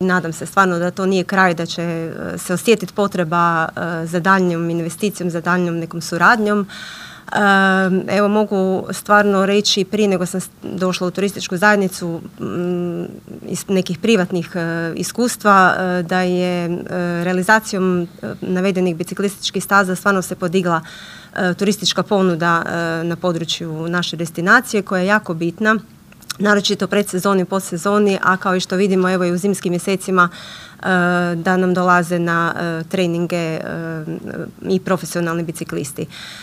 Nadam se stvarno da to nije kraj, da će se osjetiti potreba za daljnjom investicijom, za daljnjom nekom suradnjom. Evo, mogu stvarno reći, prije nego sam došla u turističku zajednicu, iz nekih privatnih iskustva, da je realizacijom navedenih biciklističkih staza stvarno se podigla turistička ponuda na području naše destinacije, koja je jako bitna, naročito predsezoni i podsezoni, a kao i što vidimo, evo i u zimskim mjesecima, da nam dolaze na treninge i profesionalni biciklisti.